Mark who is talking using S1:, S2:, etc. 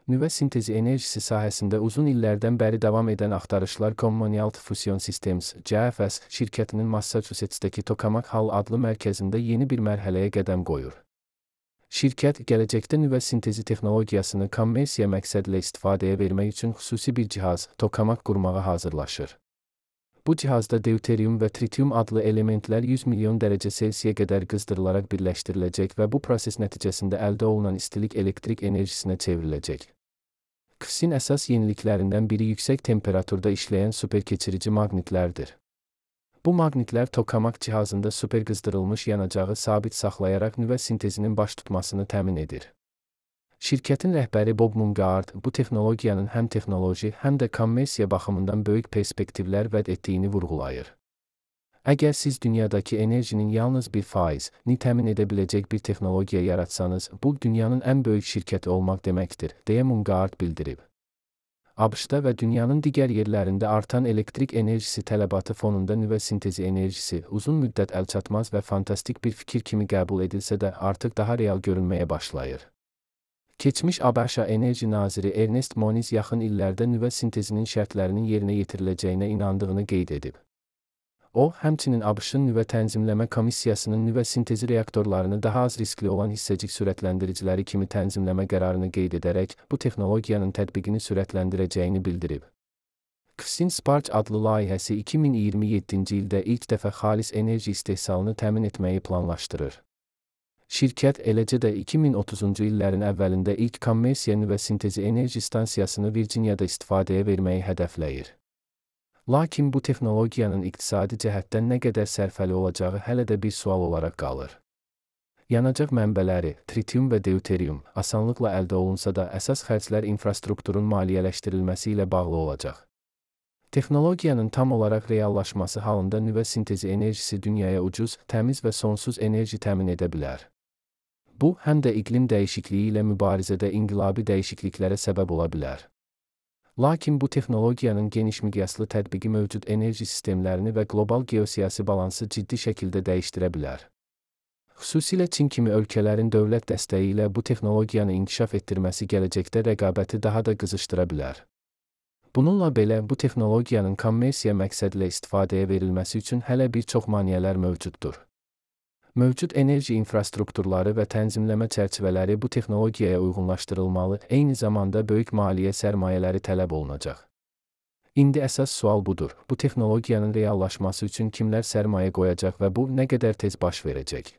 S1: Nüvə sintezi enerjisi sahəsində uzun illərdən bəri davam edən axtarışlar Commonwealth Fusion Systems (CFS) şirkətinin Massachusetts'təki Tokamak Hall adlı mərkəzində yeni bir mərhələyə qədəm qoyur. Şirkət, gələcəkdə nüvə sintezi texnologiyasını kommersiya məqsədlə istifadəyə vermək üçün xüsusi bir cihaz, tokamak qurmağa hazırlaşır. Bu cihazda deuterium və tritium adlı elementlər 100 milyon dərəcə Selsiyə qədər qızdırılaraq birləşdiriləcək və bu proses nəticəsində əldə olunan istilik elektrik enerjisinə çevriləcək. QFSin əsas yeniliklərindən biri yüksək temperaturda işləyən superkeçirici maqnitlərdir. Bu maqnitlər tokamak cihazında superqızdırılmış yanacağı sabit saxlayaraq nüvə sintezinin baş tutmasını təmin edir. Şirkətin rəhbəri Bob Mungard bu texnologiyanın həm texnoloji, həm də kommersiya baxımından böyük perspektivlər vəd etdiyini vurğulayır. Əgər siz dünyadakı enerjinin yalnız 1%ni təmin edə biləcək bir texnologiya yaratsanız, bu dünyanın ən böyük şirkəti olmaq deməkdir, deyə Mungard bildirib. ABŞ-da və dünyanın digər yerlərində artan elektrik enerjisi tələbatı fonunda nüvə sintezi enerjisi uzun müddət əlçatmaz və fantastik bir fikir kimi qəbul edilsə də artıq daha real görünməyə başlayır. Keçmiş ABŞ Enerji naziri Ernest Moniz yaxın illərdə nüvə sintezinin şərtlərinin yerinə yetiriləcəyinə inandığını qeyd edib. O, həmçinin ABŞ-ın nüvə tənzimləmə komissiyasının nüvə sintezi reaktorlarını daha az riskli olan hissəcik sürətləndiriciləri kimi tənzimləmə qərarını qeyd edərək, bu texnologiyanın tətbiqini sürətləndirəcəyini bildirib. QFSin Spark adlı layihəsi 2027-ci ildə ilk dəfə xalis enerji istehsalını təmin etməyi planlaşdırır. Şirkət, eləcə də 2030-cu illərin əvvəlində ilk kommersiya nüvə sintezi enerji stansiyasını Virginiyada istifadəyə verməyi hədəfləyir. Lakin bu texnologiyanın iqtisadi cəhətdən nə qədər sərfəli olacağı hələ də bir sual olaraq qalır. Yanacaq mənbələri, tritium və deuterium, asanlıqla əldə olunsa da əsas xərclər infrastrukturun maliyyələşdirilməsi ilə bağlı olacaq. Texnologiyanın tam olaraq reallaşması halında nüvə sintezi enerjisi dünyaya ucuz, təmiz və sonsuz enerji təmin edə bilər. Bu, həm də iqlim dəyişikliyi ilə mübarizədə inqilabi dəyişikliklərə səbəb ola bilər. Lakin bu texnologiyanın geniş miqyaslı tətbiqi mövcud enerji sistemlərini və qlobal geosiyasi balansı ciddi şəkildə dəyişdirə bilər. Xüsusilə Çin kimi ölkələrin dövlət dəstəyi ilə bu texnologiyanı inkişaf etdirməsi gələcəkdə rəqabəti daha da qızışdıra bilər. Bununla belə, bu texnologiyanın kommersiya məqsədlə istifadəyə verilməsi üçün hələ bir çox maneələr mövcuddur. Mövcud enerji infrastrukturları və tənzimləmə çərçivələri bu texnologiyaya uyğunlaşdırılmalı, eyni zamanda böyük maliyyə sərmayələri tələb olunacaq. İndi əsas sual budur, bu texnologiyanın reallaşması üçün kimlər sərmayə qoyacaq və bu nə qədər tez baş verəcək?